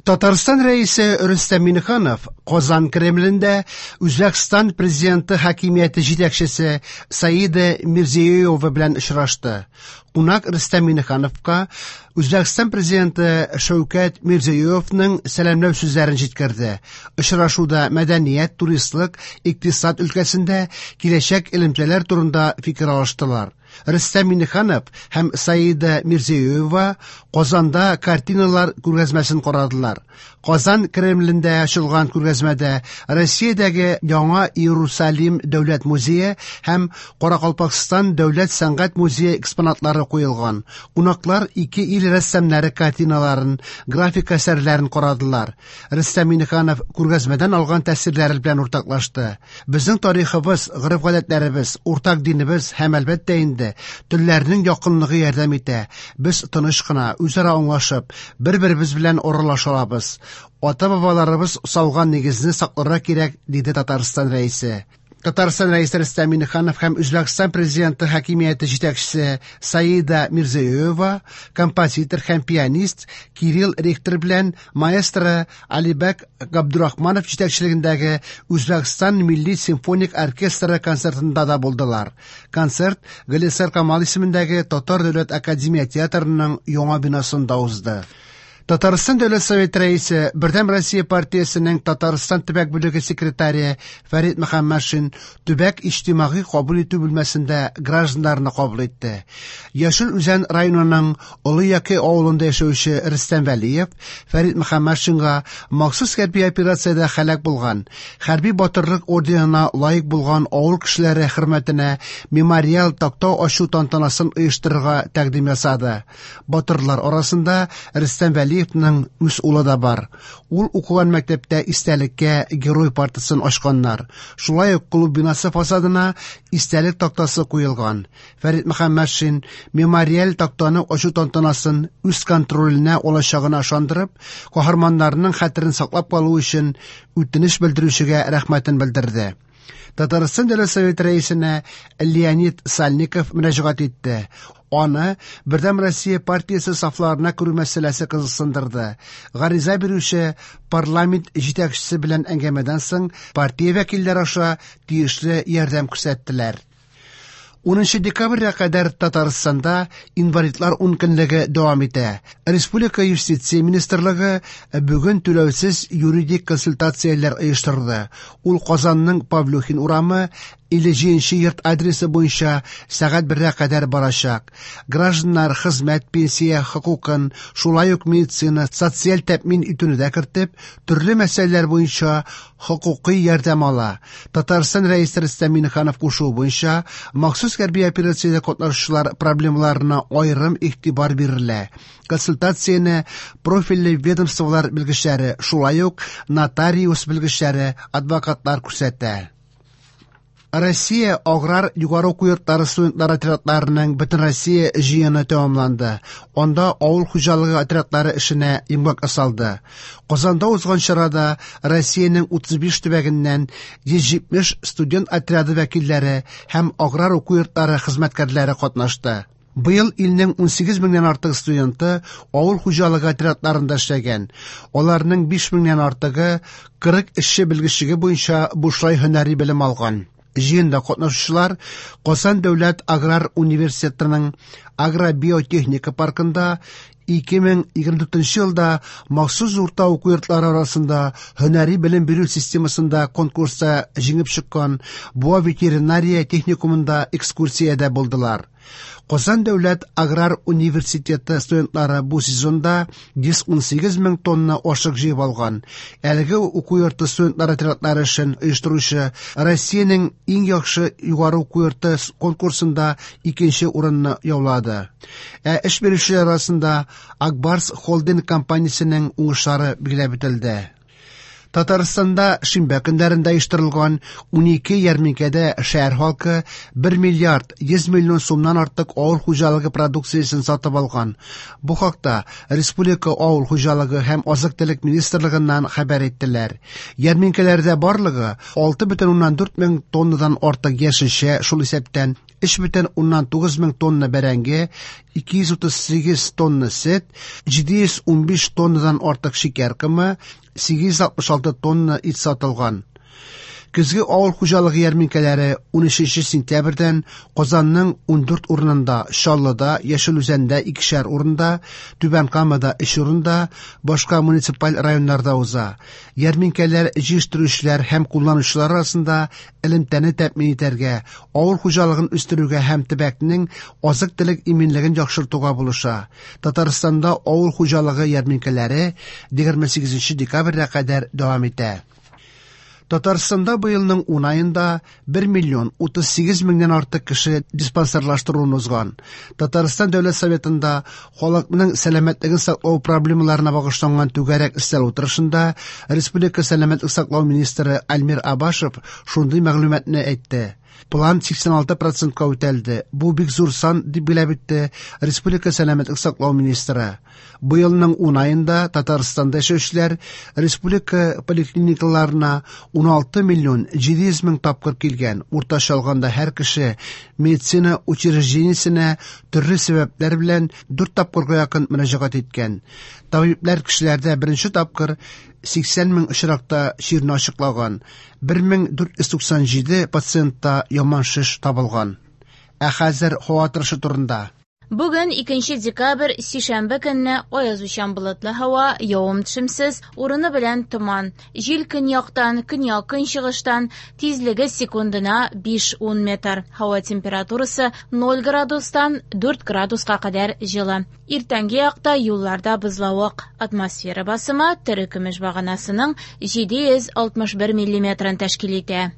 Татарстан Рәисе Рөстәм Миңнеханов Казан Кремлендә Үзбәкстан президенты хакимияте җитәкчесе Саида Мирзиёева белән очрашты. Кунак Рөстәм Миңнехановка Үзбәкстан президенты Шәүкәт Мирзиёевның сәламләү сүзләрен җиткерде. Очрашуда мәдәният, туристлык, икътисад өлкәсендә киләчәк элемтәләр турында фикер алыштылар. Рөстәм Миңнеханов һәм Саида Мирзиёева Казанда картиналар күргәзмәсен карадылар. Казан Кремлендә ачылган күргәзмәдә Россиядәге Яңа Иерусалим дәүләт музее һәм Каракалпакстан дәүләт сәнгать музее экспонатлары куелган. Кунаклар ике ил рәссамнары картиналарын, график әсәрләрен карадылар. Рөстәм Миңнеханов күргәзмәдән алган тәэсирләре белән уртаклашты. Безнең тарихыбыз, гореф-гадәтләребез, уртак динебез һәм, әлбәттә инде, телләрнең якынлыгы ярдәм итә. Без тыныч кына, үзара аңлашып, бер-беребез белән аралаша алабыз. Ата-бабаларыбыз салган нигезне сакларга кирәк, диде Татарстан Рәисе. Татарстан Рәисе Рөстәм Миңнеханов һәм Үзбәкстан президенты хакимияте җитәкчесе Саида Мирзиёева, композитор һәм пианист Кирилл Рихтер белән маэстро Алибәк Габдурахманов җитәкчелегендәге Үзбәкстан милли симфоник оркестры концертында да булдылар. Концерт Галиәсгар Камал исемендәге Татар дәүләт академия театрының яңа бинасында узды. Татарстан Дәүләт Советы рәисе, Бердәм Россия партиясенең Татарстан төбәк бүлеге секретаре Фәрит Мөхәммәтшин төбәк иҗтимагый кабул итү бүлмәсендә гражданнарны кабул итте. Яшел Үзән районының Олы Яке авылында яшәүче Рөстәм Вәлиев Фәрит Мөхәммәтшинга махсус хәрби операциядә һәлак булган, хәрби батырлык орденына лаек булган авыл кешеләре хөрмәтенә мемориал такта ачу тантанасын оештырырга тәкъдим ясады. Батырлар арасында Рөстәм Вәлиевның үз улы да бар. Ул укыган мәктәптә истәлеккә герой партасын ачканнар. Шулай ук клуб бинасы фасадына истәлек тактасы куелган. Фәрит Мөхәммәтшин мемориаль тактаны ачу тантанасын үз контроленә алачагына ышандырып, каһарманнарның хәтерен саклап калу өчен үтенеч белдерүчегә рәхмәтен белдерде. Татарстан Дәүләт Советы рәисенә Леонид Сальников мөрәҗәгать итте. Аны Бердәм Россия партиясе сафларына керү мәсьәләсе кызыксындырды. Гариза бирүче парламент җитәкчесе белән әңгәмәдән соң партия вәкилләре аша тиешле ярдәм күрсәттеләр. 10 декабрьгә кадәр Татарстанда инвалидлар ункөнлеге дәвам итә. Республика юстиция министрлыгы бүген түләүсез юридик консультацияләр оештырды. Ул Казанның Павлюхин урамы 57 йорт адресы буенча сәгать 1-гә кадәр барачак. Гражданнар хезмәт, пенсия хокукын, шулай ук медицина, социаль тәэмин итүне дә кертеп, төрле мәсьәләләр буенча хокукый ярдәм ала. Татарстан Рәисе Рөстәм Миңнеханов кушуы буенча махсус хәрби операциядә катнашучылар проблемаларына аерым игътибар бирелә. Консультацияне профильле ведомстволар белгечләре, шулай ук нотариус белгечләре, адвокатлар күрсәтә. Россия аграр югары уку йортлары студентлар отрядларының Бөтенроссия җыены тәмамланды. Анда авыл хуҗалыгы отрядлары эшенә йомгак ясалды. Казанда узган чарада Россиянең 35 төбәгеннән 170 студент отряды вәкилләре һәм аграр уку йортлары хезмәткәрләре катнашты. Быел илнең 18 меңнән артык студенты авыл хуҗалыгы отрядларында эшләгән. Аларның 5 меңнән артыгы 40 эшче белгечлеге буенча бушлай һөнәри белем алган. Җыенда катнашучылар Казан дәүләт аграр университетының агробиотехника паркында 2024 елда махсус урта уку йортлары арасында һөнәри белем бирү системасында конкурста җиңеп чыккан Буа ветеринария техникумында экскурсиядә булдылар. Казан дәүләт аграр университеты студентлары бу сезонда 118 мең тонна ашык җыеп алган. Әлеге уку йорты студентлар отрядлары эшен оештыручы Россиянең иң яхшы югары уку йорты конкурсында икенче урынны яулады. Ә эш бирүчеләр арасында Акбарс холдинг компаниясенең уңышлары билгеләп үтелде. Татарстанда шимбә көннәрендә оештырылган 12 ярминкәдә шәһәр халкы 1 миллиард 100 миллион сумнан артык авыл хуҗалыгы продукциясен сатып алган. Бу хакта Республика авыл хуҗалыгы һәм азык-төлек министрлыгыннан хәбәр иттеләр. Ярминкәләрдә барлыгы 6,4 мең тоннадан артык яшелчә, шул исәптән 3,9 мең тонна бәрәңге, 238 тонна сөт, 715 тоннадан артык шикәр комы, 866 тонна ит сатылган. Көзге авыл хуҗалыгы ярминкәләре 13 сентябрьдән Казанның 14 урынында, Чаллыда, Яшел Үзәндә икешәр урында, Түбән Камада 3 урында, башка муниципаль районнарда уза. Ярминкәләр җитештерүчеләр һәм кулланучылар арасында элемтәне тәэмин итәргә, авыл хуҗалыгын үстерүгә һәм төбәкнең азык-төлек иминлеген яхшыртуга булыша. Татарстанда авыл хуҗалыгы ярминкәләре 28 декабрьгә кадәр дәвам итә. Татарстанда быелның 10 аенда 1 миллион 38 меңнән артык кеше диспансерлаштыруын узган. Татарстан Дәүләт Советында халыкның сәламәтлеген саклау проблемаларына багышланган түгәрәк өстәл утырышында Республика сәламәтлек саклау министры Альмир Абашев шундый мәгълүматны әйтте. План 86%ка үтәлде. Бу бик зур сан, дип билгеләп үтте Республика сәламәтлек саклау министры. Быелның 10 аенда Татарстанда яшәүчеләр республика поликлиникаларына 16 миллион 700 мең тапкыр килгән. Уртача алганда һәр кеше медицина учреждениесенә төрле сәбәпләр белән 4 тапкырга якын мөрәҗәгать иткән. Табиблар кешеләрдә беренче тапкыр 80 мең очракта чирне ачыклаган. 1497 пациентта яман шеш табылган. Ә хәзер һава торышы турында. Бүген 2 декабрь, сишәмбе көнне аязучан болытлы һава, явым-төшемсез, урыны белән томан. Җил көньяктан, көньяк-көнчыгыштан, тизлеге секундына 5-10 метр. Һава температурасы 0 градустан 4 градуска кадәр җылы. Иртәнге якта юлларда бозлавык. Атмосфера басымы терекөмеш баганасының 761 миллиметрын тәшкил итә.